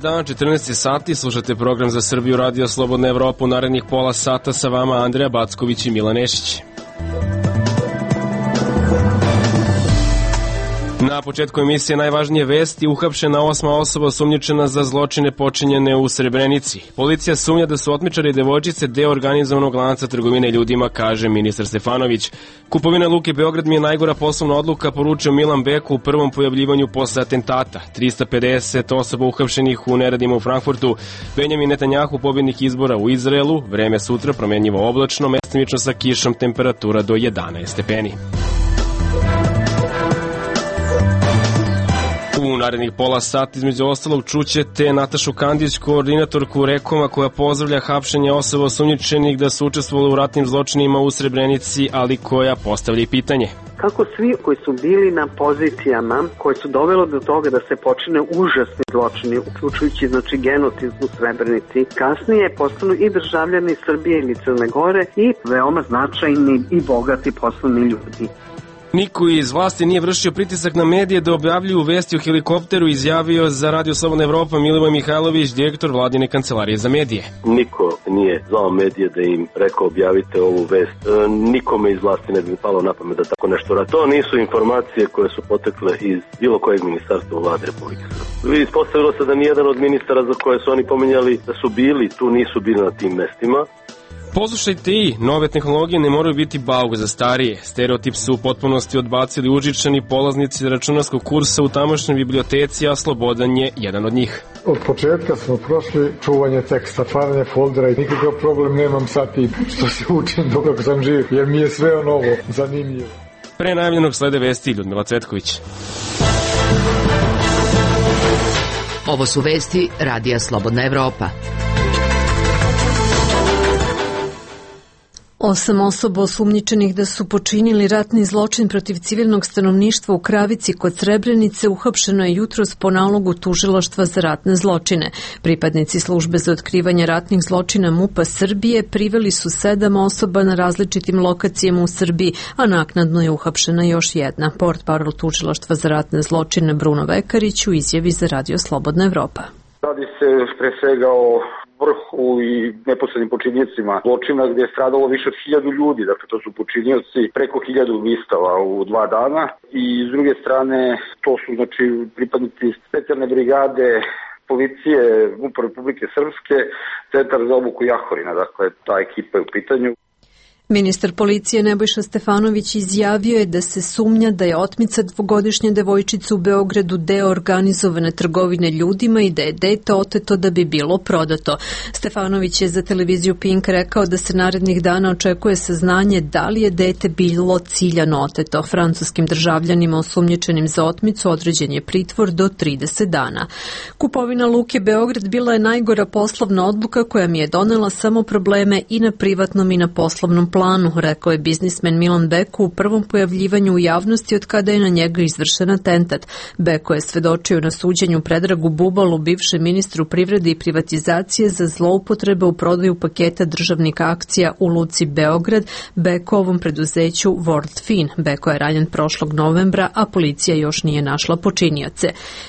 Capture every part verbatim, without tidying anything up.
dan, četrnaest sati, slušate program za Srbiju, Radio Slobodna Evropa. U narednih pola sata sa vama Andreja Backović i Milan Nešić. Na početku emisije najvažnije vesti: uhapšena osma osoba osumnjičena za zločine počinjene u Srebrenici. Policija sumnja da su otmičari i devojčice deo organizovanog lanca trgovine ljudima, kaže ministar Stefanović. Kupovina Luke Beograd mi je najgora poslovna odluka, poručio Milan Beko u prvom pojavljivanju posle atentata. trista pedeset osoba uhapšenih u neradima u Frankfurtu. Benjamin Netanjahu, pobednik izbora u Izraelu. Vreme sutra promenljivo oblačno, mestimično sa kišom, temperatura do jedanaest stepeni. U narednih pola sata između ostalog čućete Natašu Kandić, koordinatorku Rekoma, koja pozdravlja hapšenje osoba osumnjičenih da su učestvovali u ratnim zločinima u Srebrenici, ali koja postavlja i pitanje. Kako svi koji su bili na pozicijama koje su dovelo do toga da se počine užasni zločini, uključujući znači genocid u Srebrenici, kasnije postanu i državljani Srbije ili Crne Gore i veoma značajni i bogati poslovni ljudi. Niko iz vlasti nije vršio pritisak na medije da objavljuju vesti o helikopteru, izjavio za Radio Slobodna Evropa Milivoj Mihajlović, direktor Vladine kancelarije za medije. Niko nije zvao medije da im rekao objavite ovu vest. E, nikome iz vlasti ne bi palo na pamet da tako nešto radi. To nisu informacije koje su potekle iz bilo kojeg ministarstva u Vlade Republike Srbije. Ispostavilo se da nijedan od ministara za koje su oni pominjali da su bili tu, nisu bili na tim mestima. Poslušajte i, nove tehnologije ne moraju biti bauk za starije. Stereotip su u potpunosti odbacili užičani polaznici računarskog kursa u tamošnjoj biblioteci, a Slobodan je jedan od njih. Od početka smo prošli čuvanje teksta, stvaranje foldera i nikakav problem nemam sa tim što se učim dok sam živ, jer mi je sve ono ovo zanimljivo. Pre najavljenog slede vesti Ljudmila Cvetković. Ovo su vesti Radija Slobodna Evropa. Osam osoba osumnjičenih da su počinili ratni zločin protiv civilnog stanovništva u Kravici kod Srebrenice uhapšeno je jutros po nalogu Tužilaštva za ratne zločine. Pripadnici službe za otkrivanje ratnih zločina MUP-a Srbije priveli su sedam osoba na različitim lokacijama u Srbiji, a naknadno je uhapšena još jedna. Portparol Tužilaštva za ratne zločine Bruno Vekarić u izjavi za Radio Slobodna Evropa. Radi se pre svega o vrhu i neposrednim počinjecima zločina gdje je stradalo više od hiljadu ljudi, dakle to su počinioci preko hiljadu ubistava u dva dana i s druge strane to su znači pripadnici specijalne brigade policije MUP-a Republike Srpske, centar za obuku Jahorina, dakle ta ekipa je u pitanju. Ministar policije Nebojša Stefanović izjavio je da se sumnja da je otmica dvogodišnje devojčice u Beogradu deo organizovane trgovine ljudima i da je dete oteto da bi bilo prodato. Stefanović je za televiziju Pink rekao da se narednih dana očekuje saznanje da li je dete bilo ciljano oteto. Francuskim državljanima osumnjičenim za otmicu određen je pritvor do trideset dana. Kupovina Luke Beograd bila je najgora poslovna odluka koja mi je donela samo probleme i na privatnom i na poslovnom planu, rekao je biznismen Milan Beko u prvom pojavljivanju u javnosti od kada je na njega izvršen atentat. Beko je svedočio na suđenju Predragu Bubalu, bivšem ministru privrede i privatizacije, za zloupotrebe u prodaju paketa državnih akcija u Luci Beograd, Bekovom preduzeću World Fin. Beko je ranjen prošlog novembra, a policija još nije našla počinioce.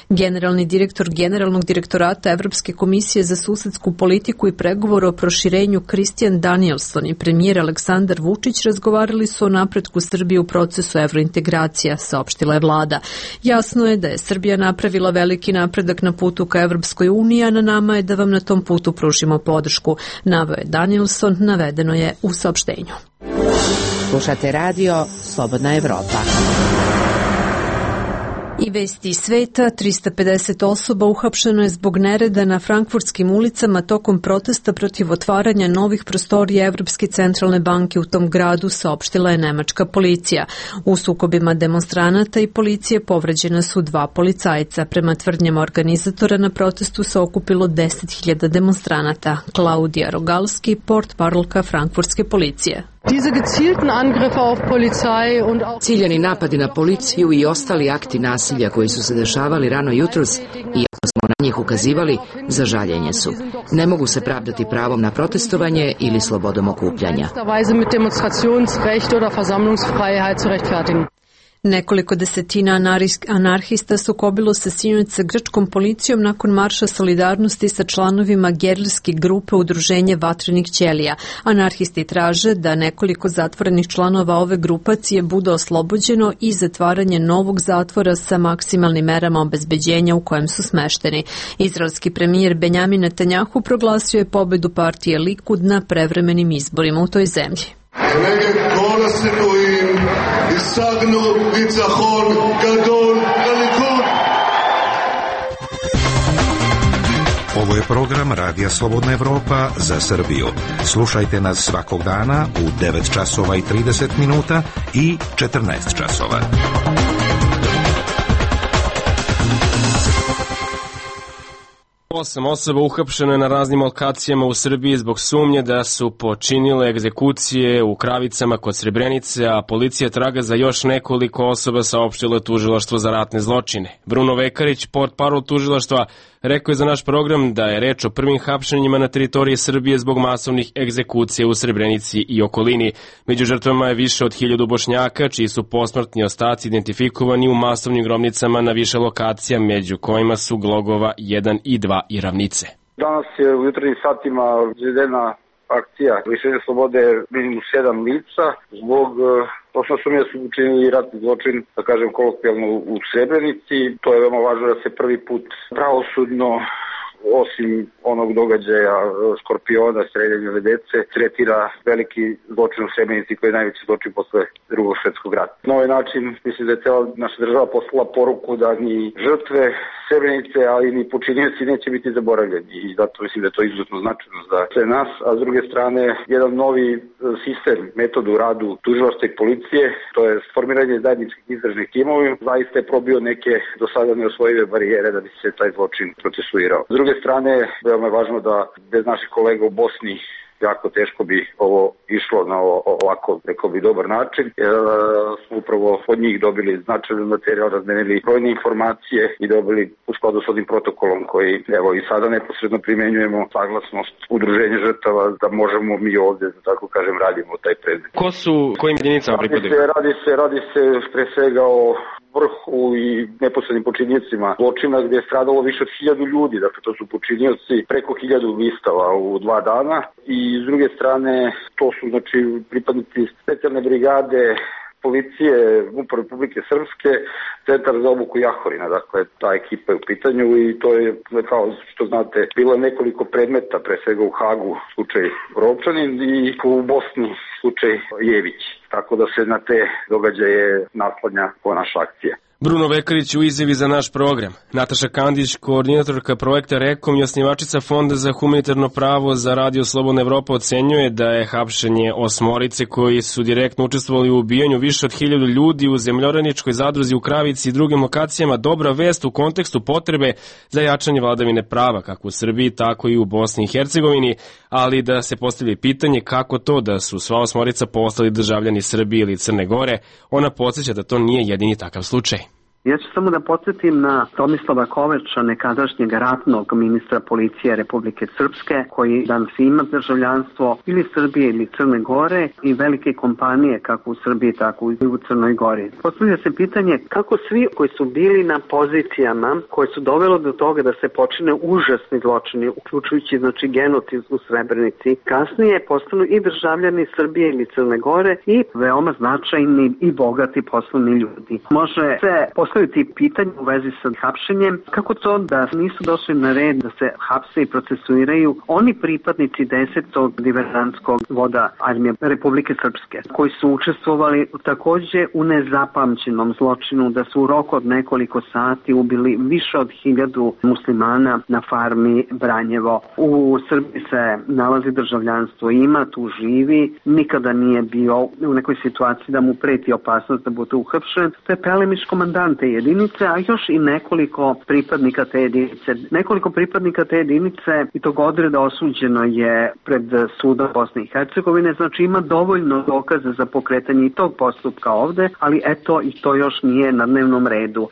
Generalni direktor Generalnog direktorata Evropske komisije za susedsku politiku i pregovor o proširenju Christian Danielson i premijer Aleksandar Vučić razgovarali su o napretku Srbije u procesu evrointegracija, saopštila je vlada. Jasno je da je Srbija napravila veliki napredak na putu ka Evropskoj uniji, a na nama je da vam na tom putu pružimo podršku, naveo je Danielson, navedeno je u saopštenju. Slušate radio Slobodna Evropa. I vesti iz sveta, trista pedeset osoba uhapšeno je zbog nereda na frankfurtskim ulicama tokom protesta protiv otvaranja novih prostorija Evropske centralne banke u tom gradu, saopštila je nemačka policija. U sukobima demonstranata i policije povređena su dva policajca. Prema tvrdnjama organizatora na protestu se okupilo deset hiljada demonstranata. Klaudija Rogalski, portparolka frankfurtske policije. Ciljani napadi na policiju i ostali akti nasilja koji su se dešavali rano jutros, iako smo na njih ukazivali, za žaljenje su. Ne mogu se pravdati pravom na protestovanje ili slobodom okupljanja. Nekoliko desetina anarhista sukobilo se sinoć sa grčkom policijom nakon marša solidarnosti sa članovima gerilske grupe Udruženje vatrenih ćelija. Anarhisti traže da nekoliko zatvorenih članova ove grupacije bude oslobođeno i zatvaranje novog zatvora sa maksimalnim merama obezbeđenja u kojem su smešteni. Izraelski premijer Benjamin Netanjahu proglasio je pobedu partije Likud na prevremenim izborima u toj zemlji. Ovo je program Radija Slobodna Evropa za Srbiju. Slušajte nas svakog dana u devet časova i trideset minuta i četrnaest časova. Osam osoba uhapšeno je na raznim lokacijama u Srbiji zbog sumnje da su počinile egzekucije u Kravicama kod Srebrenice, a policija traga za još nekoliko osoba, saopštilo je Tužilaštvo za ratne zločine. Bruno Vekarić, portparol tužilaštva, rekao je za naš program da je reč o prvim hapšenjima na teritoriji Srbije zbog masovnih egzekucija u Srebrenici i okolini. Među žrtvama je više od hiljadu Bošnjaka, čiji su posmrtni ostaci identifikovani u masovnim grobnicama na više lokacija, među kojima su Glogova jedan i dva i Ravnice. Danas je u jutarnjim satima izvedena akcija lišenja slobode minimum sedam lica zbog osnovno sumnje da su učinili ratni zločin, da kažem kolokvijalno, u Srebrenici. To je veoma važno da se prvi put pravosudno, osim onog događaja Skorpiona, streljanja dece, tretira veliki zločin u Srebrenici koji je najveći zločin posle drugog svjetskog rata. Na ovaj način mislim da je cijela naša država poslala poruku da ni žrtve Srebrenice, ali ni počinioci neće biti zaboravljeni i zato mislim da je to izuzetno značajno za sve nas, a s druge strane jedan novi sistem, metod u radu tužilaštva i policije, to je formiranje zajedničkih istražnih timova, zaista je probio neke do sada neosvojive barijere da bi se taj zločin procesuirao. S druge strane, veoma je važno da bez naših kolega u Bosni jako teško bi ovo išlo na ovako, rekao bi, dobar način. E, smo upravo od njih dobili značajan materijal, razmenili brojne informacije i dobili u skladu s ovim protokolom koji, evo, i sada neposredno primenjujemo saglasnost udruženja žrtava da možemo mi ovde, da tako kažem, radimo taj predmet. Ko su, kojim jedinicama pripadaju? Radi se, radi se, radi se pre svega o vrhu i neposrednim počinjicima zločina gdje je stradalo više od hiljadu ljudi, dakle to su počinioci preko hiljadu ubistava u dva dana i s druge strane to su znači pripadnici specijalne brigade policije M U P-a Republike Srpske, centar za obuku Jahorina, dakle ta ekipa je u pitanju i to je, kao što znate, bilo nekoliko predmeta, pre svega u Hagu slučaj Rovčanin i u Bosni slučaj Jević, tako da se na te događaje naslanja po naša akcija. Bruno Vekarić u izjavi za naš program. Nataša Kandić, koordinatorka projekta Rekom i osnivačica Fonda za humanitarno pravo za Radio Slobodna Evropa, ocenjuje da je hapšenje osmorice koji su direktno učestvovali u ubijanju više od hiljadu ljudi u zemljoraničkoj zadruzi u Kravici i drugim lokacijama dobra vest u kontekstu potrebe za jačanje vladavine prava kako u Srbiji, tako i u Bosni i Hercegovini, ali da se postavlja pitanje kako to da su sva osmorica postali državljani Srbije ili Crne Gore. Ona podsjeća da to nije jedini takav slučaj. Ja ću samo da podsjetim na Tomislava Koveča, nekadašnjeg ratnog ministra policije Republike Srpske, koji danas ima državljanstvo ili Srbije ili Crne Gore i velike kompanije kako u Srbiji, tako i u Crnoj Gori. Postavlja se pitanje kako svi koji su bili na pozicijama koje su dovelo do toga da se počine užasni zločini, uključujući znači genocid u Srebrenici, kasnije postanu i državljani Srbije ili Crne Gore i veoma značajni i bogati poslovni ljudi. Može se postaviti pitanje u vezi sa hapšenjem, kako to da nisu došli na red da se hapse i procesuiraju oni pripadnici desetog diverzantskog voda armije Republike Srpske, koji su učestvovali takođe u nezapamćenom zločinu da su u roku od nekoliko sati ubili više od hiljadu muslimana na farmi Branjevo. U Srbiji se nalazi državljanstvo, ima, tu živi, nikada nije bio u nekoj situaciji da mu preti opasnost da bude uhapšen. To je pelemiš komandant te jedinice, a još i nekoliko pripadnika te jedinice. Nekoliko pripadnika te jedinice i tog odreda osuđeno je pred sudom Bosne i Hercegovine, znači ima dovoljno dokaza za pokretanje i tog postupka ovde, ali eto i to još nije na dnevnom redu.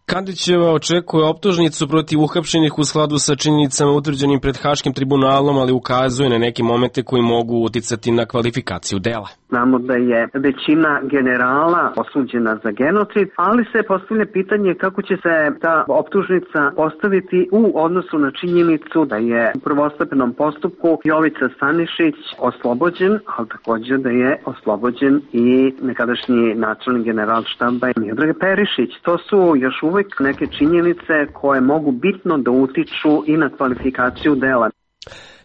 Kandićeva očekuje optužnicu protiv uhapšenih u skladu sa činjenicama utvrđenim pred Haškim tribunalom, ali ukazuje na neke momente koji mogu uticati na kvalifikaciju dela. Znamo da je većina generala osuđena za genocid, ali se postavlja pitanje kako će se ta optužnica postaviti u odnosu na činjenicu da je u prvostepenom postupku Jovica Stanišić oslobođen, ali također da je oslobođen i nekadašnji načelnik generalštaba Miodrag Perišić. To su još uvek neke činjenice koje mogu bitno da utiču i na kvalifikaciju dela.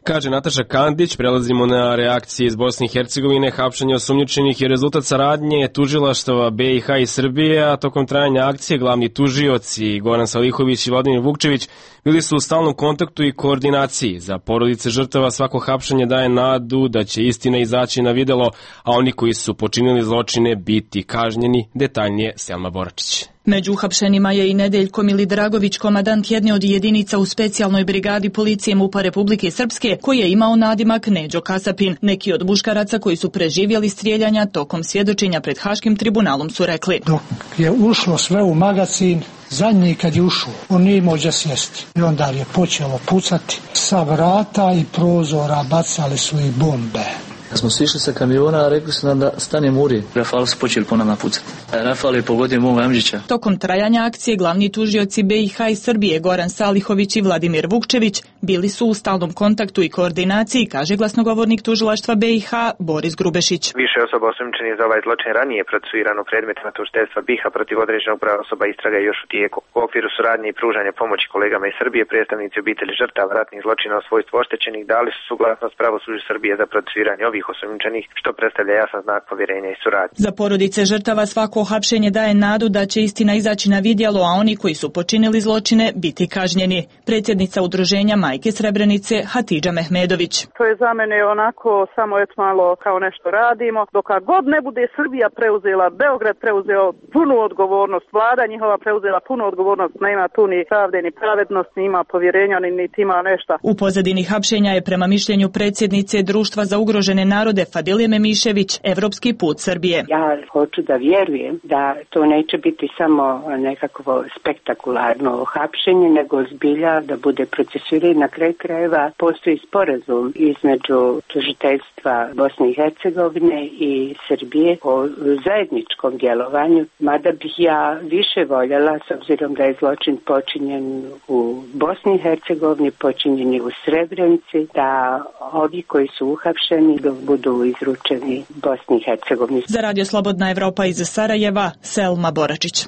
Kaže Nataša Kandić. Prelazimo na reakcije iz Bosne i Hercegovine. Hapšenje osumnjičenih je rezultat saradnje tužilaštava B i H i Srbije, a tokom trajanja akcije glavni tužioci Goran Salihović i Vladimir Vukčević bili su u stalnom kontaktu i koordinaciji. Za porodice žrtava svako hapšenje daje nadu da će istina izaći na videlo, a oni koji su počinili zločine biti kažnjeni. Detaljnije Selma Boračić. Među uhapšenima je i Nedeljko Milidragović, komadant jedne od jedinica u specijalnoj brigadi policije MUP-a Republike Srpske, koji je imao nadimak Neđo Kasapin. Neki od muškaraca koji su preživjeli strijeljanja tokom svjedočenja pred Haškim tribunalom su rekli: dok je ušlo sve u magazin, zadnji kad je ušao, on nije imao gdje sjesti. I onda je počelo pucati. Sa vrata i prozora bacali su i bombe. Kad smo sišli sa kamiona, rekli su nam da stanemo uri. Rafal su počeli po nama pucati. Rafal je pogodio mog Amđića. Tokom trajanja akcije glavni tužioci B i H i Srbije Goran Salihović i Vladimir Vukčević bili su u stalnom kontaktu i koordinaciji, kaže glasnogovornik tužilaštva B i H Boris Grubešić. Više osoba osumnjičenih za ovaj zločin ranije procesuirano predmetima tužiteljstva B i H protiv određenog broja osoba istraga je još u tijeku. U okviru suradnje i pružanja pomoći kolegama iz Srbije, predstavnici obitelji žrtava ratnih zločina o svojstvu oštećenih dali su suglasnost pravosuđu Srbije za procesuiranje ovih osumnjičenih, što predstavlja jasan znak povjerenja i suradnje. Za porodice žrtava svako hapšenje daje nadu da će istina izaći na vidjelo, a oni koji su počinili zločine biti kažnjeni. Predsjednica udruženja Majke Srebrenice Hatidža Mehmedović. To je za mene onako samo et malo kao nešto radimo. Dok god ne bude Srbija preuzela, Beograd preuzeo punu odgovornost, vlada njihova preuzela punu odgovornost, nema tu ni pravde ni pravednost, ni ima povjerenja, ni niti ima nešto. U pozadini hapšenja je prema mišljenju predsjednice Društva za ugrožene narode Fadilije Memišević evropski put Srbije. Ja hoću da vjerujem da to neće biti samo nekakvo spektakularno hapšenje, nego zbilja da bude procesuiranje. Na kraju krajeva postoji sporazum između tužiteljstva Bosne i Hercegovine i Srbije o zajedničkom djelovanju, mada bih ja više voljela, s obzirom da je zločin počinjen u Bosni i Hercegovini, počinjen je u Srebrenici, da ovi koji su uhapšeni da budu izručeni Bosni i Hercegovini. Za Radio Slobodna Evropa iz Sarajeva, Selma Boračić.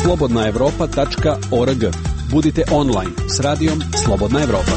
slobodna evropa tačka org. Budite online s radijom Slobodna Evropa.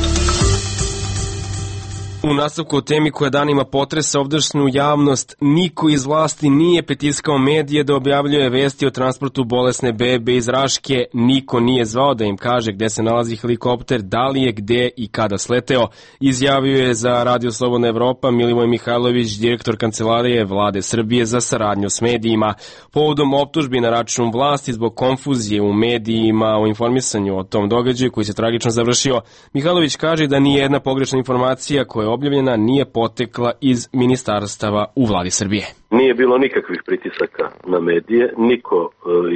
U nastavku o temi koja danima potresa ovdašnju javnost, niko iz vlasti nije pritiskao medije da objavljuje vesti o transportu bolesne bebe iz Raške, niko nije zvao da im kaže gde se nalazi helikopter, da li je, gde i kada sleteo, izjavio je za Radio Slobodna Evropa Milivoj Mihajlović, direktor Kancelarije Vlade Srbije za saradnju s medijima. Povodom optužbi na račun vlasti zbog konfuzije u medijima o informisanju o tom događaju koji se tragično završio, Mihajlović kaže da nije jedna pogrešna informacija koja objavljena nije potekla iz ministarstava u Vladi Srbije. Nije bilo nikakvih pritisaka na medije, niko e,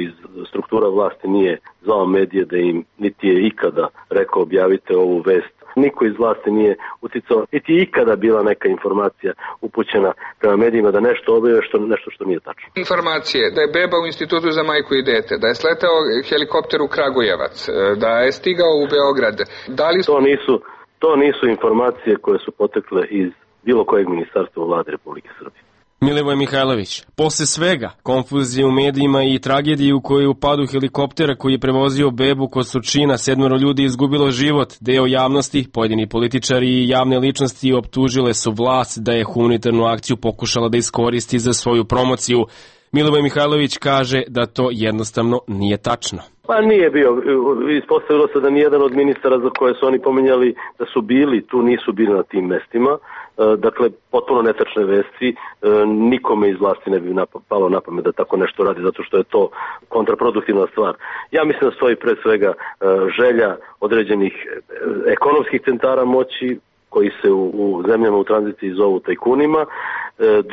iz struktura vlasti nije zvao medije da im niti je ikada rekao objavite ovu vest. Niko iz vlasti nije uticao, niti je ikada bila neka informacija upućena prema medijima da nešto objave što, nešto što nije tačno. Informacije da je beba u Institutu za majku i dete, da je sletao helikopter u Kragujevac, da je stigao u Beograd. Da li... To nisu To nisu informacije koje su potekle iz bilo kojeg ministarstva u Vladi Republike Srbije. Milivoj Mihajlović, posle svega, konfuzije u medijima i tragedije u kojoj u padu helikoptera koji je prevozio bebu kod Surčina, sedmero ljudi izgubilo život, deo javnosti, pojedini političari i javne ličnosti optužile su vlast da je humanitarnu akciju pokušala da iskoristi za svoju promociju. Milivoj Mihajlović kaže da to jednostavno nije tačno. Pa nije bio, ispostavilo se da nijedan od ministara za koje su oni pominjali da su bili, tu nisu bili na tim mestima. Dakle, potpuno netačne vesti, nikome iz vlasti ne bi palo na pamet da tako nešto radi, zato što je to kontraproduktivna stvar. Ja mislim da stoji pre svega želja određenih ekonomskih centara moći, koji se u, u zemljama u tranziciji zovu tajkunima, e,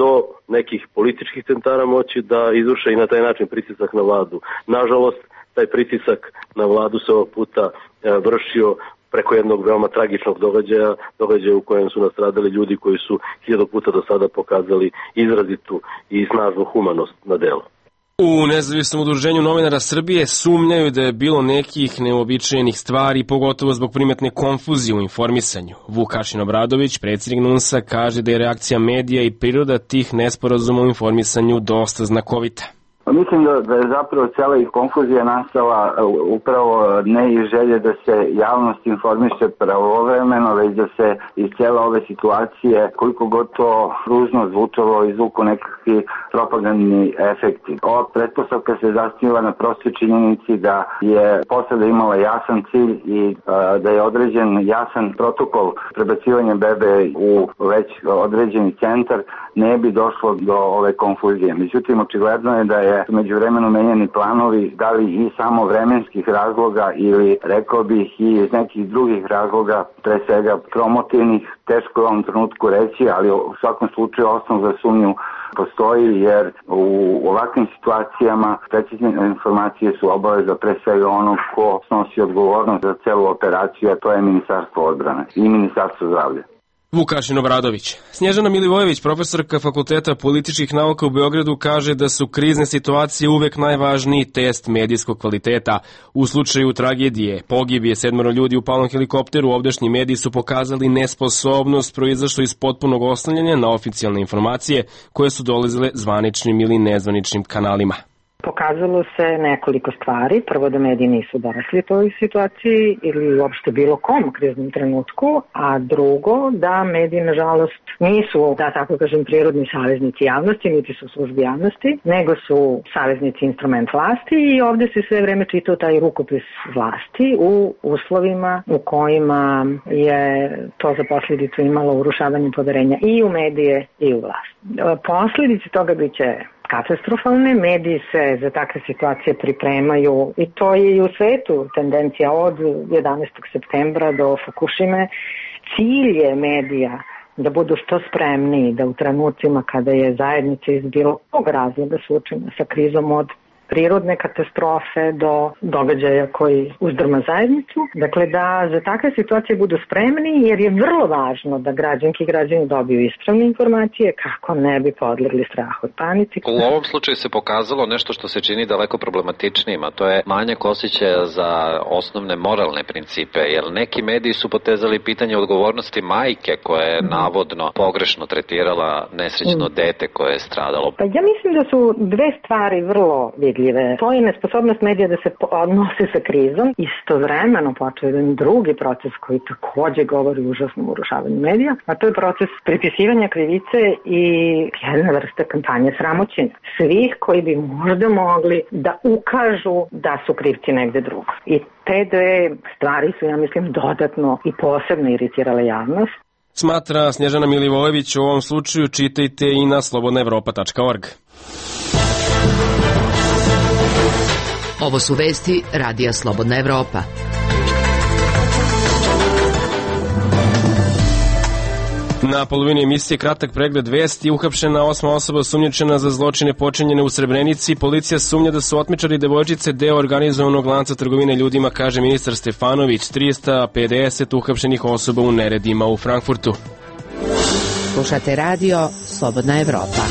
do nekih političkih centara moći da izvrše i na taj način pritisak na vladu. Nažalost, taj pritisak na vladu se ovog puta vršio preko jednog veoma tragičnog događaja, događaja u kojem su nastradali ljudi koji su hiljadu puta do sada pokazali izrazitu i snažnu humanost na delu. U Nezavisnom udruženju novinara Srbije sumnjaju da je bilo nekih neobičajenih stvari, pogotovo zbog primetne konfuzije u informisanju. Vukašin Obradović, predsjednik N U N S-a, kaže da je reakcija medija i priroda tih nesporazuma u informisanju dosta znakovita. Mislim da, da je zapravo cijela i konfuzija nastala upravo ne iz želje da se javnost informiše pravovremeno, već da se iz cijela ove situacije, koliko god to ružno zvučalo, izvuku nekakvi propagandni efekti. Ova pretpostavka se zasniva na prostoj činjenici da je posada imala jasan cilj i a, da je određen jasan protokol prebacivanja bebe u već određeni centar, ne bi došlo do ove konfuzije. Međutim, očigledno je da je međuvremeno menjani planovi, da li i samo vremenskih razloga ili, rekao bih, i iz nekih drugih razloga, pre svega promotivnih, teško je u ovom trenutku reći, ali u svakom slučaju osnov za sumnju postoji, jer u ovakvim situacijama precizne informacije su obaveza pre svega onog ko snosi odgovornost za celu operaciju, a to je Ministarstvo odbrane i Ministarstvo zdravlja. Vukašin Obradović. Snježana Milivojević, profesorka Fakulteta političkih nauka u Beogradu, kaže da su krizne situacije uvek najvažniji test medijskog kvaliteta. U slučaju tragedije, pogibije sedmoro ljudi u palom helikopteru, ovdašnji mediji su pokazali nesposobnost proizašlo iz potpunog oslanjanja na oficijalne informacije koje su dolazile zvaničnim ili nezvaničnim kanalima. Pokazalo se nekoliko stvari. Prvo, da mediji nisu dorasli toj situaciji ili uopšte bilo kom kriznom trenutku, a drugo, da mediji, nažalost, nisu, da tako kažem, prirodni saveznici javnosti, niti su službi javnosti, nego su saveznici instrument vlasti i ovde se sve vreme čitao taj rukopis vlasti u uslovima u kojima je to za posljedicu imalo urušavanje poverenja i u medije i u vlast. Posljedice toga biće katastrofalne, mediji se za takve situacije pripremaju i to je i u svetu tendencija od jedanaestog septembra do Fukushime. Cilj je medija da budu što spremniji, da u trenucima kada je zajednica iz bilo kog razloga suočena sa krizom od prirodne katastrofe do događaja koji uzdrma zajednicu. Dakle, da za takve situacije budu spremni, jer je vrlo važno da građanki i građani dobiju ispravne informacije kako ne bi podlegli strahu i panici. U ovom slučaju se pokazalo nešto što se čini daleko problematičnijim, a to je manjak osjećaja za osnovne moralne principe, jer neki mediji su potezali pitanje odgovornosti majke koja je navodno pogrešno tretirala nesrećno dete koje je stradalo. Pa ja mislim da su dve stvari vrlo vidljive. To je nesposobnost medija da se odnose sa krizom. Istovremeno počeo jedan drugi proces koji takođe govori o užasnom urušavanju medija, a to je proces pripisivanja krivice i jedna vrsta kampanje sramoćenja svih koji bi možda mogli da ukažu da su krivci negde drugo. I te dve stvari su, ja mislim, dodatno i posebno iritirale javnost. Smatra Snježana Milivojević. U ovom slučaju čitajte i na slobodna evropa tačka org. Ovo su vesti Radija Slobodna Evropa. Na polovini emisije kratak pregled vesti. Uhapšena osma osoba osumnjičena za zločine počinjene u Srebrenici. Policija sumnja da su otmičari devojčice deo organizovanog lanca trgovine ljudima, kaže ministar Stefanović. trista pedeset uhapšenih osoba u neredima u Frankfurtu. Slušate radio Slobodna Evropa.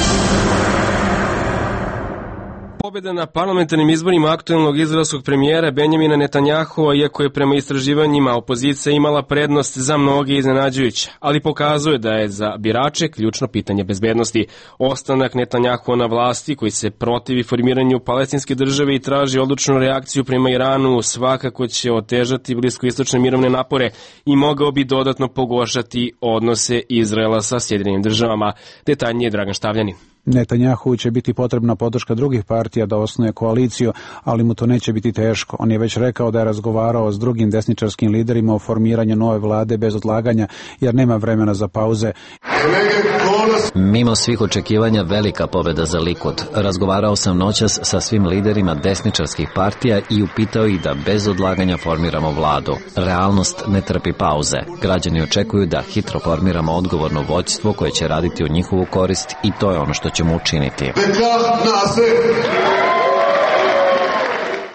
Pobjeda na parlamentarnim izborima aktuelnog izraelskog premijera Benjamina Netanjahua, iako je prema istraživanjima opozicija imala prednost, za mnoge iznenađujuća, ali pokazuje da je za birače ključno pitanje bezbednosti. Ostanak Netanjahua na vlasti, koji se protivi formiranju palestinske države i traži odlučnu reakciju prema Iranu, svakako će otežati bliskoistočne mirovne napore i mogao bi dodatno pogoršati odnose Izraela sa Sjedinjenim državama. Detaljnije Dragan Štavljanin. Netanjahu će biti potrebna podrška drugih partija da osnuje koaliciju, ali mu to neće biti teško. On je već rekao da je razgovarao s drugim desničarskim liderima o formiranju nove vlade bez odlaganja, jer nema vremena za pauze. Mimo svih očekivanja, velika pobjeda za Likud. Razgovarao sam noćas sa svim liderima desničarskih partija i upitao ih da bez odlaganja formiramo vladu. Realnost ne trpi pauze. Građani očekuju da hitro formiramo odgovorno vođstvo koje će raditi u njihovu korist i to je ono što ćemo učiniti.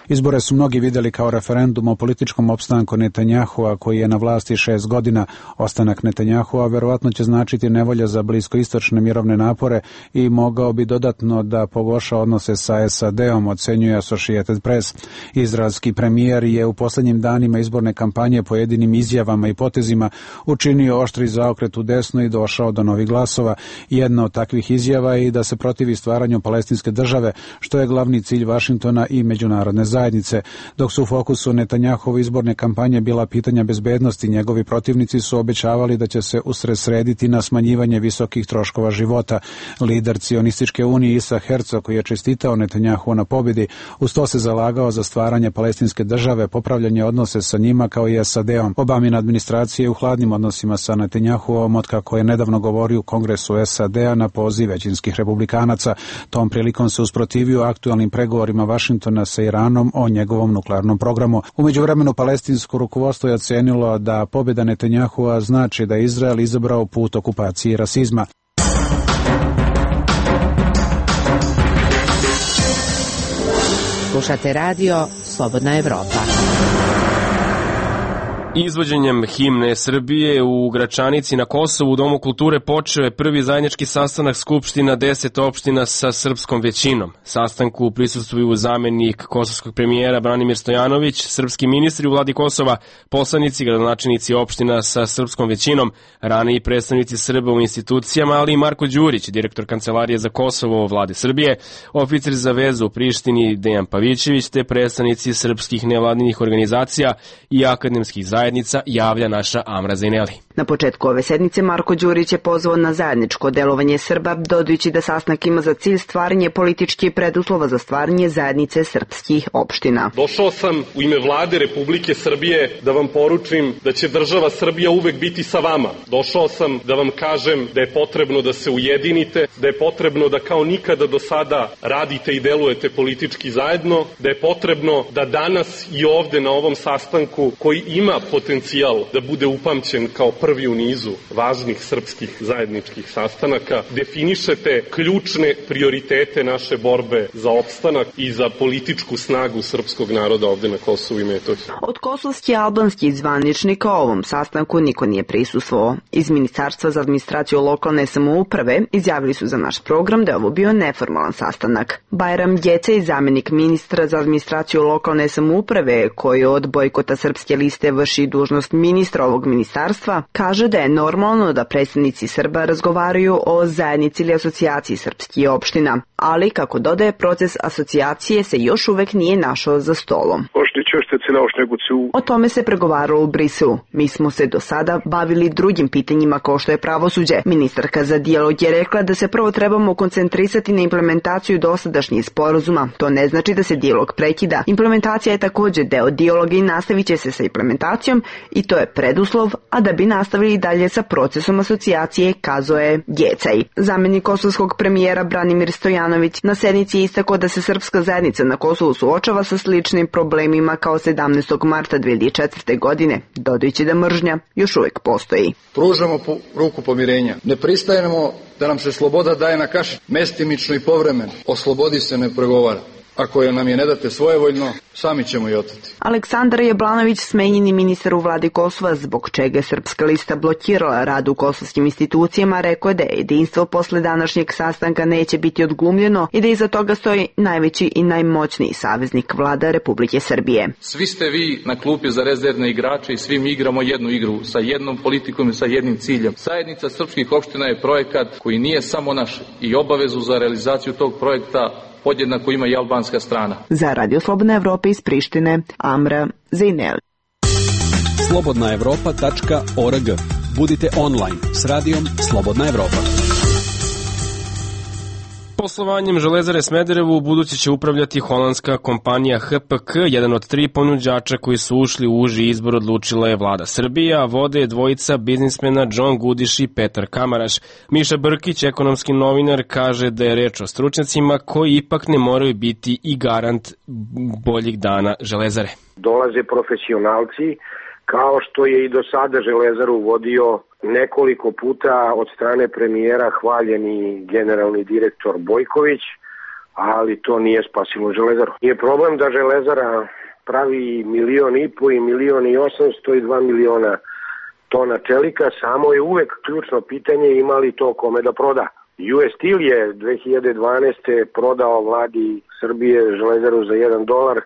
Izbore su mnogi vidjeli kao referendum o političkom opstanku Netanjahua, koji je na vlasti šest godina. Ostanak Netanjahua verovatno će značiti nevolja za bliskoistočne mirovne napore i mogao bi dodatno da pogorša odnose sa S A D-om, ocenjuje Associated Press. Izraelski premijer je u posljednjim danima izborne kampanje pojedinim izjavama i potezima učinio oštri zaokret u desno i došao do novih glasova. Jedna od takvih izjava je i da se protivi stvaranju palestinske države, što je glavni cilj Vašingtona i međunarodne zajednice. Dok su u fokusu Netanjahove izborne kampanje bila pitanja bezbednosti, njegovi protivnici su obećavali da će se usredsrediti na smanjivanje visokih troškova života. Lider Cionističke unije Isaac Herzog, koji je čestitao Netanjahu na pobjedi, uz to se zalagao za stvaranje palestinske države, popravljanje odnose sa njima kao i S A D-om. Obamina administracija je u hladnim odnosima sa Netanjahuom otkako je nedavno govorio u Kongresu S A D-a na poziv većinskih republikanaca. Tom prilikom se usprotivio aktualnim pregovorima Vašingtona sa Iranom o njegovom nuklearnom programu. U međuvremenu palestinsko rukovodstvo je ocenilo da pobjeda Netanjahua znači da je Izrael izabrao put okupacije i rasizma. Slušate radio Slobodna Evropa. Izvođenjem himne Srbije u Gračanici na Kosovu u Domu kulture počeo je prvi zajednički sastanak Skupština deset opština sa srpskom većinom. Sastanku prisustvuju zamenik kosovskog premijera Branimir Stojanović, srpski ministri u vladi Kosova, poslanici, gradonačelnici opština sa srpskom većinom, raniji predstavnici Srba u institucijama, ali i Marko Đurić, direktor Kancelarije za Kosovo u vladi Srbije, oficir za vezu u Prištini Dejan Pavićević, te predstavnici srpskih nevladinih organizacija i akademskih zajednica, javlja naša Amra Zaineli. Na početku ove sednice Marko Đurić je pozvao na zajedničko delovanje Srba, dodajući da sastanak ima za cilj stvaranje političkih preduslova za stvaranje zajednice srpskih opština. Došao sam u ime vlade Republike Srbije da vam poručim da će država Srbija uvek biti sa vama. Došao sam da vam kažem da je potrebno da se ujedinite, da je potrebno da kao nikada do sada radite i delujete politički zajedno, da je potrebno da danas i ovde na ovom sastanku, koji ima potencijal da bude upamćen kao prvi u nizu važnih srpskih zajedničkih sastanaka, definišete ključne prioritete naše borbe za opstanak i za političku snagu srpskog naroda ovde na Kosovu i Metohiji. Od kosovskih i albanskih zvaničnika ovom sastanku niko nije prisustvovao. Iz Ministarstva za administraciju lokalne samouprave izjavili su za naš program da je ovo bio neformalan sastanak. Bajram Gece, zamenik ministra za administraciju lokalne samouprave, koji od bojkota Srpske liste vrši dužnost ministra ovog ministarstva, kaže da je normalno da predstavnici Srba razgovaraju o zajednici ili asocijaciji srpskih opština, ali, kako dodaje, proces asocijacije se još uvek nije našao za stolom. O tome se pregovaralo u Briselu. Mi smo se do sada bavili drugim pitanjima kao što je pravosuđe. Ministarka za dijalog je rekla da se prvo trebamo koncentrisati na implementaciju dosadašnjih sporazuma. To ne znači da se dijalog prekida. Implementacija je također deo dijaloga i nastavit će se sa implementacijom i to je preduslov, a da bi nastavili dalje sa procesom asocijacije, kazao je Gecaj. Zamenik kosovskog premijera Branimir Stojanović na sednici je istakao da se srpska zajednica na Kosovu suočava sa sličnim problemima kao sedamnaestog marta dve hiljade četvrte. godine, dodajući da mržnja još uvek postoji. Pružamo po, ruku pomirenja. Ne pristajemo da nam se sloboda daje na kaši. Mestimično i povremeno. O slobodi se ne pregovara. Ako je nam je ne date svojevoljno, sami ćemo i oteti. Aleksandar Jablanović, smenjeni ministar u vladi Kosova, zbog čega je Srpska lista blokirala rad u kosovskim institucijama, rekao je da je jedinstvo posle današnjeg sastanka neće biti odglumljeno i da iza toga stoji najveći i najmoćniji saveznik vlada Republike Srbije. Svi ste vi na klupi za rezervne igrače i svi mi igramo jednu igru sa jednom politikom i sa jednim ciljem. Zajednica srpskih opština je projekat koji nije samo naš i obavezu za realizaciju tog projekta podjednako ima i albanska strana. Za Radio Slobodna Evropa iz Prištine, Amra Zaineli. slobodna evropa tačka org. Budite online s radijom Slobodna Evropa. Poslovanjem Železare Smederevo u buduće će upravljati holandska kompanija H P K, jedan od tri ponuđača koji su ušli u uži izbor odlučila je vlada Srbije, a vode je dvojica biznismena John Gudiš i Petar Kamaraš. Miša Brkić, ekonomski novinar, kaže da je reč o stručnjacima koji ipak ne moraju biti i garant boljih dana Železare. Dolaze profesionalci, kao što je i do sada Železaru vodio nekoliko puta od strane premijera hvaljeni generalni direktor Bojković, ali to nije spasilo Železaru. Nije problem da Železara pravi milion i po i milion i osamsto i dva miliona tona čelika, samo je uvek ključno pitanje ima li to kome da proda. U S Steel je dve hiljade dvanaeste. prodao vladi Srbije Železaru za jedan dolar,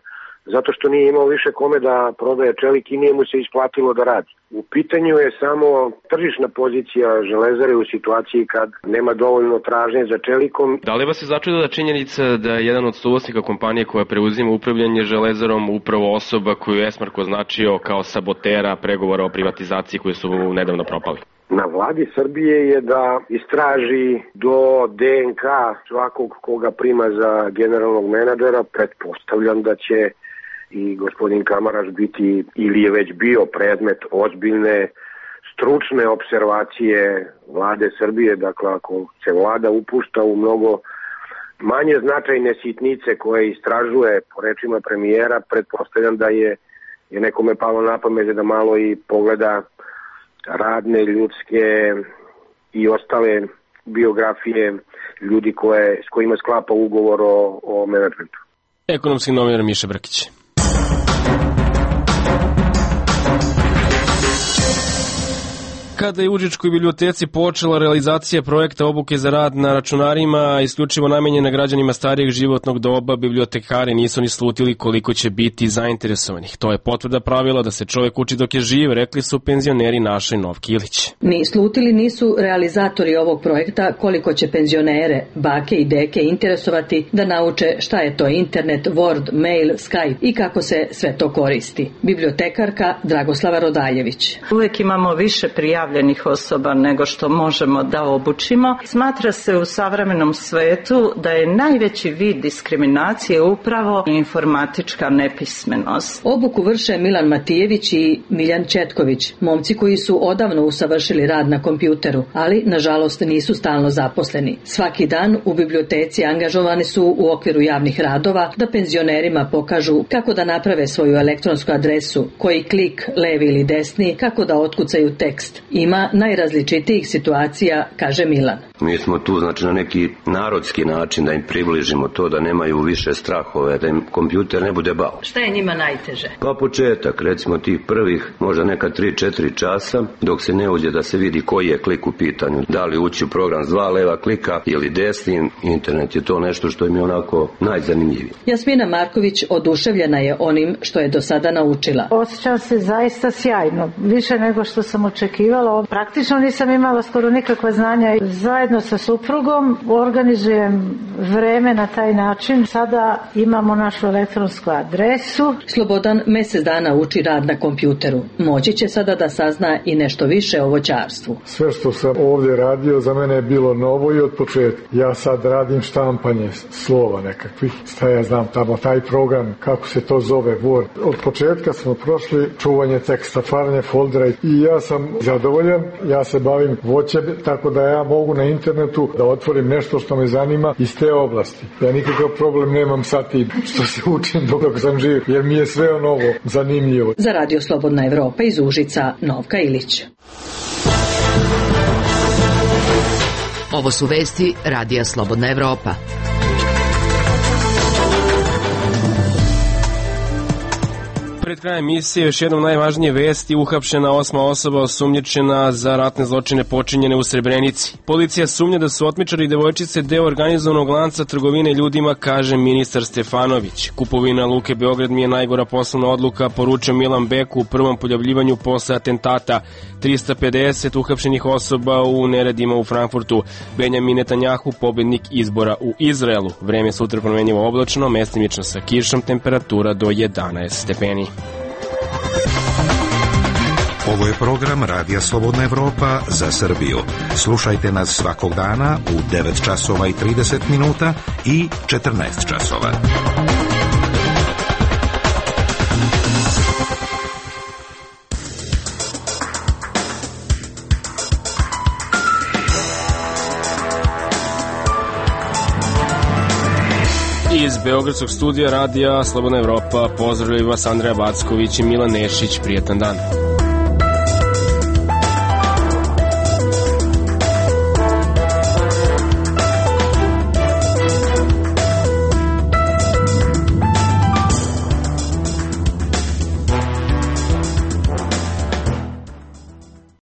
zato što nije imao više kome da prodaje čelik i nije mu se isplatilo da radi. U pitanju je samo tržišna pozicija Železare u situaciji kad nema dovoljno tražnje za čelikom. Da li vas je začudila činjenica da je jedan od suvlasnika kompanije koja preuzima upravljanje Železarom upravo osoba koju je Esmark označio kao sabotera pregovora o privatizaciji koji su nedavno propali? Na vladi Srbije je da istraži do D N K svakog koga prima za generalnog menadžera. Pretpostavljam da će i gospodin Kamaraš biti ili je već bio predmet ozbiljne stručne observacije vlade Srbije. Dakle, ako se vlada upušta u mnogo manje značajne sitnice koje istražuje po rečima premijera, pretpostavljam da je, je nekome palo na pamet da malo i pogleda radne, ljudske i ostale biografije ljudi koje, s kojima sklapa ugovor o, o menadžmentu. Ekonomski novinar Miša Brkić. Kada je u Užičkoj biblioteci počela realizacija projekta obuke za rad na računarima isključivo namenjena građanima starijeg životnog doba, bibliotekari nisu ni slutili koliko će biti zainteresovanih. To je potvrda pravila da se čovjek uči dok je živ, rekli su penzioneri Naša i Novki Ilić. Ni slutili nisu realizatori ovog projekta koliko će penzionere, bake i deke interesovati da nauče šta je to internet, Word, mail, Skype i kako se sve to koristi. Bibliotekarka Dragoslava Rodaljević. Uvijek imamo više prijavljenih osoba nego što možemo da obučimo. Smatra se u savremenom svetu da je najveći vid diskriminacije upravo informatička nepismenost. Obuku vrše Milan Matijević i Miljan Četković, momci koji su odavno usavršili rad na kompjuteru, ali nažalost nisu stalno zaposleni. Svaki dan u biblioteci angažovani su u okviru javnih radova da penzionerima pokažu kako da naprave svoju elektronsku adresu, koji klik, levi ili desni, kako da otkucaju tekst. Ima najrazličitijih situacija, kaže Milan. Mi smo tu znači na neki narodski način da im približimo to da nemaju više strahove, da im kompjuter ne bude bao. Šta je njima najteže? Pa početak, recimo tih prvih možda neka tri četiri časa dok se ne uđe da se vidi koji je klik u pitanju. Da li ući u program s dva leva klika ili desnim, internet je to nešto što im je onako najzanimljivije. Jasmina Marković oduševljena je onim što je do sada naučila. Osjećam se zaista sjajno, više nego što sam očekivala. Praktično nisam imala skoro nikakva znanja. Zajedno sa suprugom organizujem vreme na taj način. Sada imamo našu elektronsku adresu. Slobodan mjesec dana uči rad na kompjuteru. Moći će sada da sazna i nešto više o voćarstvu. Sve što sam ovdje radio za mene je bilo novo i od početka. Ja sad radim štampanje slova nekakvih. Šta ja znam tamo, taj program, kako se to zove, Word. Od početka smo prošli čuvanje teksta, stvaranje foldera i ja sam zadovoljan. Ja se bavim voćem, tako da ja mogu na internetu da otvorim nešto što me zanima iz te oblasti. Ja nikakav problem nemam sa tim što se učim dok sam živ, jer mi je sve novo zanimljivo. Za Radio Slobodna Evropa iz Užica, Novka Ilić. Ovo su vesti Radija Slobodna Evropa. Pred krajem emisije još jednom najvažnije vesti: uhapšena osma osoba osumnjičena za ratne zločine počinjene u Srebrenici. Policija sumnja da su otmičari i devojčice deo organizovanog lanca trgovine ljudima, kaže ministar Stefanović. Kupovina Luke Beograd mi je najgora poslovna odluka, poručio Milan Beku u prvom pojavljivanju posle atentata. trista pedeset uhapšenih osoba u neredima u Frankfurtu. Benjamin Netanjahu pobednik izbora u Izraelu. Vreme sutra promenjivo oblačno, mestimično sa kišom, temperatura do jedanaest stepeni. Ovo je program Radija Slobodna Evropa za Srbiju. Slušajte nas svakog dana u devet časova i trideset minuta i četrnaest časova. Iz Beogradskog studija Radija Slobodna Evropa pozdravljaju vas Andreja Backović i Milan Nešić. Prijetan dan.